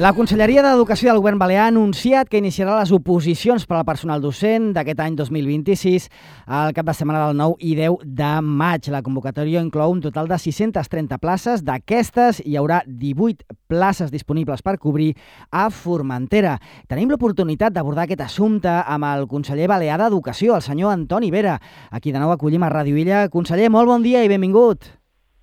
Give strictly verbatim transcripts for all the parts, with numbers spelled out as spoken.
La Conselleria d'Educació del Govern Balear ha anunciat que iniciarà les oposicions per al personal docent d'aquest any dos mil vint-i-sis al cap de setmana del nou i deu de maig. La convocatòria inclou un total de sis-centes trenta places. D'aquestes hi haurà divuit places disponibles per cobrir a Formentera. Tenim l'oportunitat d'abordar aquest assumpte amb el conseller balear d'Educació, el senyor Antoni Vera, a qui de nou acollim a Ràdio Illa. Conseller, molt bon dia i benvingut.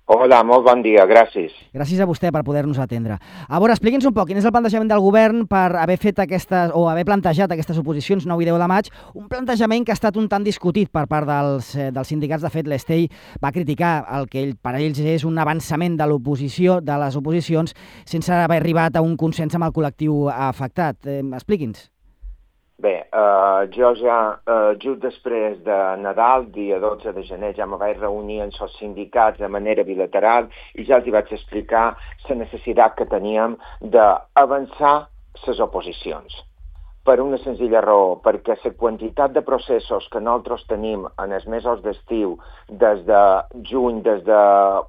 Hola, molt bon dia, gràcies. Gràcies a vostè per poder-nos atendre. A veure, expliqui'ns un poc, quin és el plantejament del govern per haver fet aquestes, o haver plantejat aquestes oposicions nou i deu de maig, un plantejament que ha estat un tant discutit per part dels, eh, dels sindicats. De fet, l'Estei va criticar el que ell, per ells és un avançament de l'oposició, de les oposicions, sense haver arribat a un consens amb el col·lectiu afectat. Eh, expliqui'ns. Bé, eh, jo ja, eh, just després de Nadal, dia dotze de gener, ja me vaig reunir amb els sindicats de manera bilateral i ja els hi vaig explicar la necessitat que teníem d'avançar les oposicions. Per una senzilla raó, perquè la quantitat de processos que nosaltres tenim en els mesos d'estiu, des de juny, des de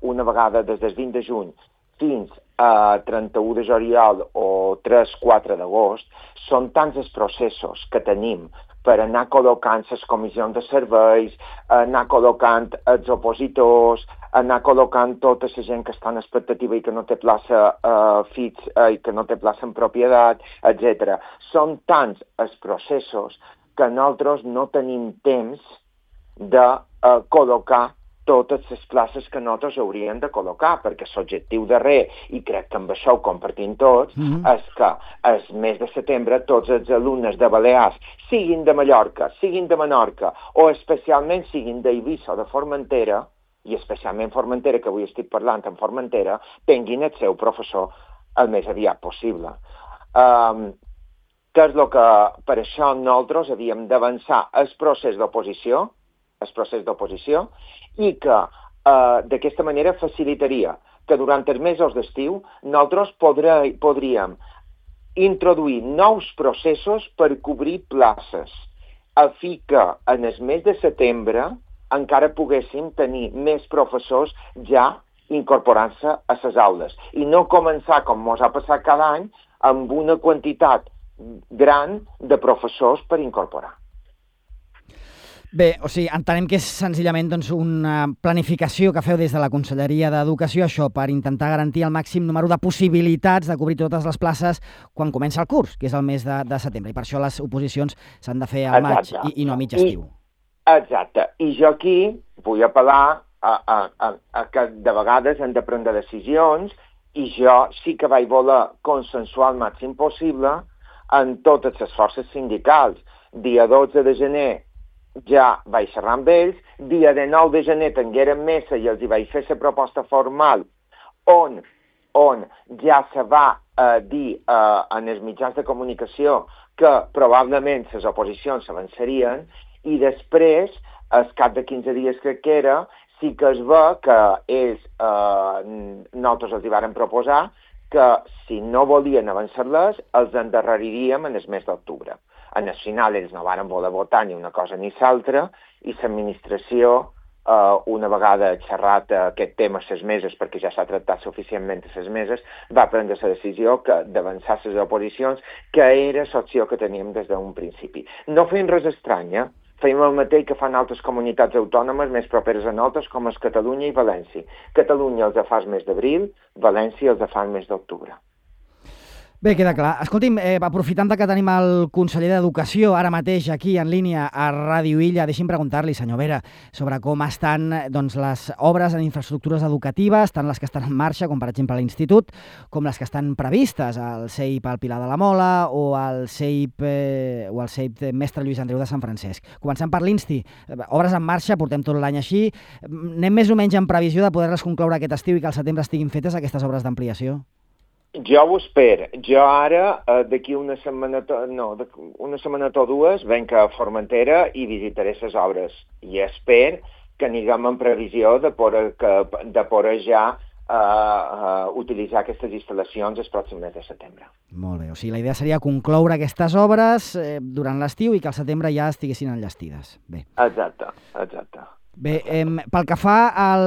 una vegada des del vint de juny, fins a trenta-u de juliol o tres quatre d'agost, són tants els processos que tenim per anar col·locant les comissions de serveis, anar col·locant els opositors, anar col·locant tota la gent que està en expectativa i que no té plaça uh, fix uh, i que no té plaça en propietat, etcètera. Són tants els processos que nosaltres no tenim temps de uh, col·locar totes les places que nosaltres hauríem de col·locar, perquè l'objectiu darrer, i crec que amb això ho compartim tots, mm-hmm. és que el mes de setembre tots els alumnes de Balears, siguin de Mallorca, siguin de Menorca, o especialment siguin d'Eivissa o de Formentera, i especialment Formentera, que avui estic parlant en Formentera, tinguin el seu professor el més aviat possible. Um, que és el que per això nosaltres havíem d'avançar el procés d'oposició, el procés d'oposició, i que eh, d'aquesta manera facilitaria que durant els mesos d'estiu nosaltres podré, podríem introduir nous processos per cobrir places, a fi que en el mes de setembre encara poguéssim tenir més professors ja incorporant-se a les aules i no començar, com ens ha passat cada any, amb una quantitat gran de professors per incorporar. Bé, o sigui, entenem que és senzillament doncs, una planificació que feu des de la Conselleria d'Educació, això, per intentar garantir el màxim número de possibilitats de cobrir totes les places quan comença el curs, que és el mes de, de setembre, i per això les oposicions s'han de fer al maig i, i no a mig estiu. I, exacte. I jo aquí vull apel·lar a, a, a, a que de vegades hem de prendre decisions i jo sí que vaig voler consensuar el màxim possible en totes les forces sindicals. Dia dotze de gener ja vaig xerrar amb ells, dia de nou de gener tinguérem mesa i els hi vaig fer la proposta formal on, on ja se va eh, dir eh, en els mitjans de comunicació que probablement les oposicions s'avançarien i després, al cap de quinze dies crec que era, sí que es ve que ells, eh, nosaltres els hi vàrem proposar que si no volien avançar-les els endarreriríem en el mes d'octubre. En el final ells no varen voler votar ni una cosa ni l'altra i l'administració, eh, una vegada xerrat aquest tema a ses meses, perquè ja s'ha tractat suficientment a ses meses, va prendre la decisió que d'avançar les oposicions, que era l'opció que teníem des d'un principi. No feim res estrany, eh? Feim el mateix que fan altres comunitats autònomes més properes a nosaltres, com és Catalunya i València. Catalunya els fa el mes d'abril, València els fa el mes d'octubre. Bé, queda clar. Escolti'm, eh, aprofitant que tenim el conseller d'Educació ara mateix aquí en línia a Ràdio Illa, deixi'm preguntar-li, senyor Vera, sobre com estan doncs, les obres en infraestructures educatives, tant les que estan en marxa, com per exemple a l'Institut, com les que estan previstes, al C E I P al Pilar de la Mola o al C E I P, eh, o al C E I P Mestre Lluís Andreu de Sant Francesc. Començant per l'Insti, obres en marxa, portem tot l'any així. Anem més o menys en previsió de poder-les concloure aquest estiu i que al setembre estiguin fetes aquestes obres d'ampliació? Jo ho espero. Jo ara, eh, d'aquí una setmana, no, una setmana o dues, venc a Formentera i visitaré les obres. I espero que anirem en previsió de poder, que, de poder ja eh, uh, utilitzar aquestes instal·lacions el pròxim mes de setembre. Molt bé. O sigui, la idea seria concloure aquestes obres eh, durant l'estiu i que al setembre ja estiguessin enllestides. Bé. Exacte, exacte. Bé, eh, pel que fa a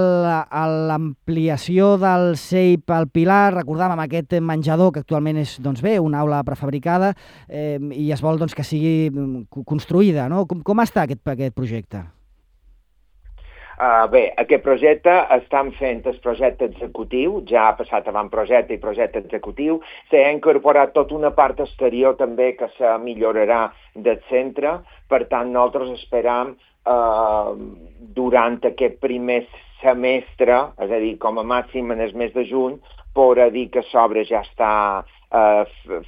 l'ampliació del C E I P al Pilar, recordàvem aquest menjador que actualment és, doncs bé, una aula prefabricada eh, i es vol doncs, que sigui construïda, no? Com, com està aquest, aquest projecte? Uh, bé, aquest projecte estan fent el projecte executiu, ja ha passat avantprojecte i projecte executiu, s'ha incorporat tota una part exterior també que se millorarà del centre, per tant nosaltres esperam uh, durant aquest primer semestre, és a dir, com a màxim en el mes de juny, poder dir que l'obra ja està uh,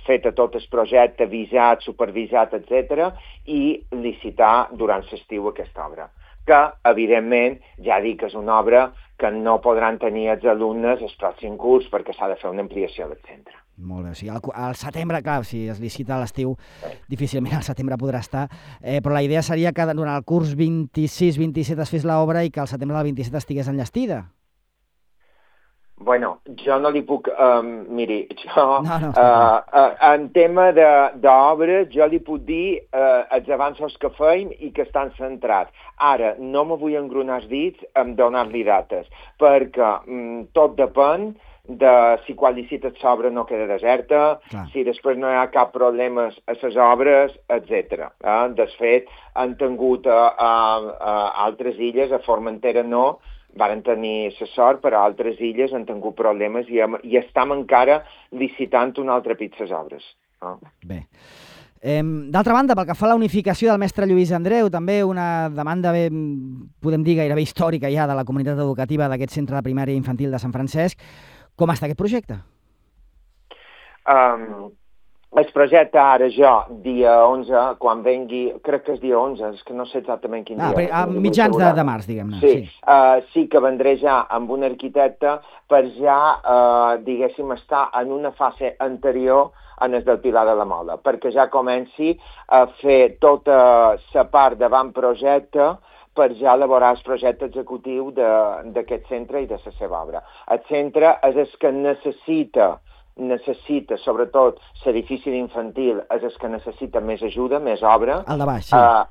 feta tot el projecte, visat, supervisat, etcètera, i licitar durant l'estiu aquesta obra. Que, evidentment, ja dic que és una obra que no podran tenir els alumnes el pròxim curs perquè s'ha de fer una ampliació del centre. Molt bé, o sigui, al, al setembre, clar, si es licita a l'estiu, difícilment al setembre podrà estar, eh, però la idea seria que durant el curs vint-i-sis vint-i-set es fes l'obra i que al setembre del vint-i-set estigués enllestida. Bueno, jo no li puc... Um, miri, jo... No, no, uh, uh, en tema d'obres, jo li puc dir uh, els avanços que feim i que estan centrats. Ara, no me vull engrunar els dits en donar-li dates, perquè um, tot depèn de si quan licites l'obra no queda deserta, clar, si després no hi ha cap problema a les obres, etcètera. Eh? De fet, han tingut a, a, a altres illes, a Formentera no, varen tenir la sort, però a altres illes han tingut problemes i, i estem encara licitant un altre pit les obres. No? Bé. Eh, D'altra banda, pel que fa a la unificació del mestre Lluís Andreu, també una demanda, bé, podem dir, gairebé històrica ja de la comunitat educativa d'aquest centre de primària infantil de Sant Francesc. Com està aquest projecte? Um, el projecte ara jo, dia onze, quan vengui, crec que és dia onze, és que no sé exactament quin ah, dia. A mitjans de, de març, diguem-ne. Sí, sí. Uh, sí que vendré ja amb un arquitecte per ja, uh, diguéssim, estar en una fase anterior en el del Pilar de la Mola, perquè ja comenci a fer tota la part d'avantprojecte per ja elaborar el projecte executiu d'aquest centre i de la seva obra. El centre és el que necessita, necessita, sobretot l'edifici d'infantil, és el que necessita més ajuda, més obra. El de baix, sí. Uh,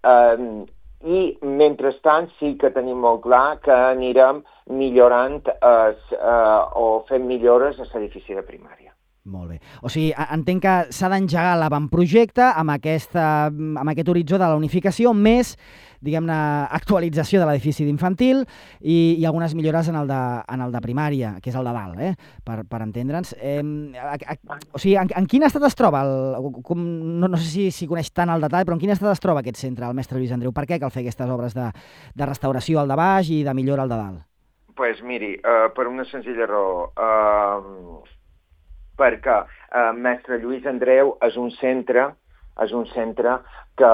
uh, I, mentrestant, sí que tenim molt clar que anirem millorant uh, uh, o fent millores a l'edifici de primària. Molt bé. O sigui, entenc que s'ha d'engegar l'avantprojecte amb, aquesta, amb aquest horitzó de la unificació, més, diguem-ne, actualització de l'edifici d'infantil i, i algunes millores en el, de, en el de primària, que és el de dalt, eh? per, per entendre'ns. Eh, a, a, o sigui, en, en quin estat es troba? El, com, no, no sé si, si coneix tant el detall, però en quin estat es troba aquest centre, el mestre Lluís Andreu? Per què cal fer aquestes obres de, de restauració al de baix i de millora al de dalt? Doncs pues miri, uh, per una senzilla raó. Uh, perquè eh, mestre Lluís Andreu és un centre, és un centre que,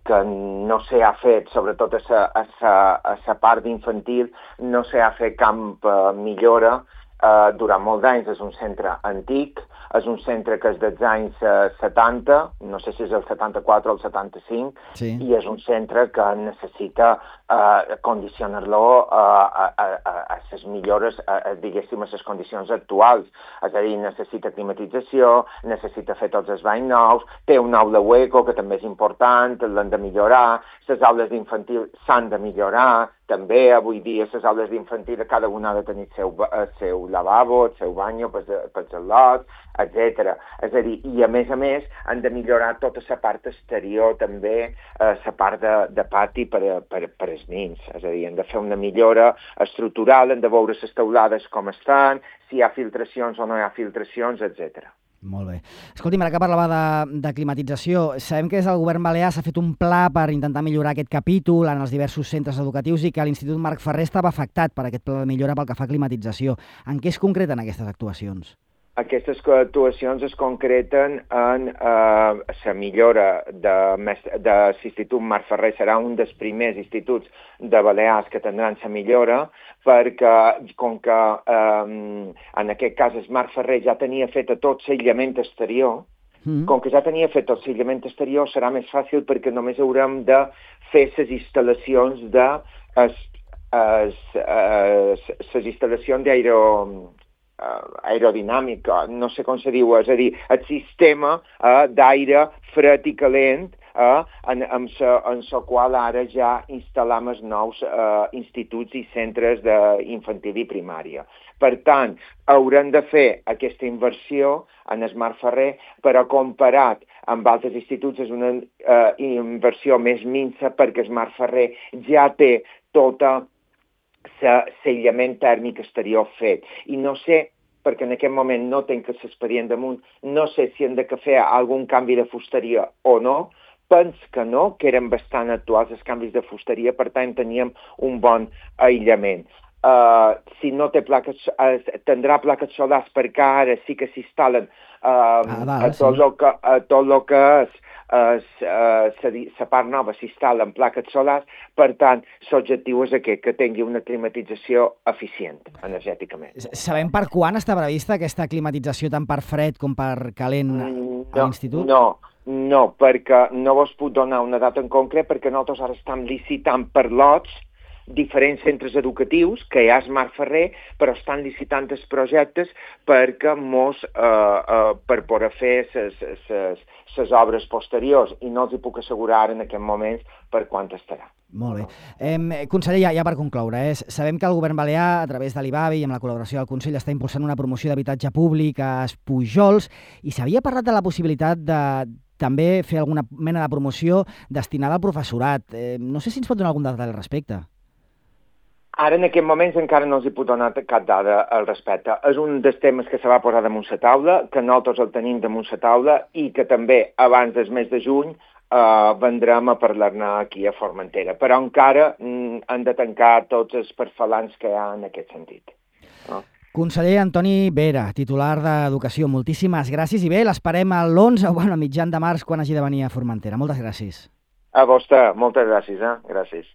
que no s'ha fet, sobretot a sa, a sa, a sa part d'infantil, no s'ha fet cap eh, millora eh, durant molts anys. És un centre antic, és un centre que és dels anys eh, setanta, no sé si és el setanta-quatre o el setanta-cinc, sí. I és un centre que necessita eh, condicionar-lo eh, a, a, a les millores, a, diguéssim, a les condicions actuals. És a dir, necessita climatització, necessita fer tots els banys nous, té una aula hueco, que també és important, l'han de millorar, les aules d'infantil s'han de millorar, també avui dia les aules d'infantil cada una ha de tenir el seu, el seu lavabo, el seu bany pels al·lots, etcètera. És a dir, i a més a més han de millorar tota la part exterior també, la eh, part de, de pati per, per, per als nens. És a dir, han de fer una millora estructural, han de veure les teulades com estan, si hi ha filtracions o no hi ha filtracions, etcètera. Molt bé. Escolti'm, ara que parlava de, de climatització, sabem que des del govern balear s'ha fet un pla per intentar millorar aquest capítol en els diversos centres educatius i que l'Institut Marc Ferrer estava afectat per aquest pla de millora pel que fa a climatització. En què es concreten aquestes actuacions? Aquestes actuacions es concreten en eh, la millora de, de l'Institut Marc Ferrer. Serà un dels primers instituts de Balears que tindran la millora, perquè com que eh, en aquest cas el Marc Ferrer ja tenia fet tot l'aïllament exterior, mm. com que ja tenia fet tot l'aïllament exterior serà més fàcil perquè només haurem de fer les instal·lacions de les instal·lacions d'aero aerodinàmica, no sé com se diu, és a dir, el sistema uh, d'aire fred i calent eh, en, en, sa, en la qual ara ja instal·lam els nous eh, instituts i centres d'infantil i primària. Per tant, haurem de fer aquesta inversió en Smart Ferrer, però comparat amb altres instituts és una eh, inversió més minsa perquè Smart Ferrer ja té tota l'aïllament tèrmic exterior fet. I no sé, perquè en aquest moment no tenc l'expedient damunt, no sé si hem de fer algun canvi de fusteria o no. Pens que no, que eren bastant actuals els canvis de fusteria, per tant teníem un bon aïllament. Uh, si no té plaques, uh, tindrà plaques solars perquè ara sí que s'instal·len uh, ah, va, a tot sí. el que, a tot lo que és la part nova s'instal·len plaques solars, per tant, l'objectiu és aquest, que tingui una climatització eficient energèticament. Sabem per quan està prevista aquesta climatització tant per fred com per calent a l'institut? No, no, perquè no vos puc donar una data en concret, perquè nosaltres ara estem licitant per lots diferents centres educatius, que hi ha Smart Ferrer, però estan licitant els projectes perquè mos, eh, eh, per poder fer les obres posteriors, i no els hi puc assegurar en aquest moment per quant estarà. Molt bé. Eh, conseller, ja, ja per concloure, eh, sabem que el govern balear, a través de l'I B A B i amb la col·laboració del Consell, està impulsant una promoció d'habitatge públic a Espujols, i s'havia parlat de la possibilitat de també fer alguna mena de promoció destinada al professorat. Eh, no sé si ens pot donar algun detall al respecte. Ara, en aquests moments, encara no els hi puc donar cap dada al respecte. És un dels temes que se va posar damunt la taula, que nosaltres el tenim damunt la taula i que també, abans del mes de juny, eh, vendrem a parlar-ne aquí a Formentera. Però encara mm, han de tancar tots els perfalants que hi ha en aquest sentit. No? Conseller Antoni Vera, titular d'Educació, moltíssimes gràcies i bé, l'esperem a l'onze o bueno, a mitjan de març quan hagi de venir a Formentera. Moltes gràcies. A vostè, moltes gràcies. Eh? Gràcies.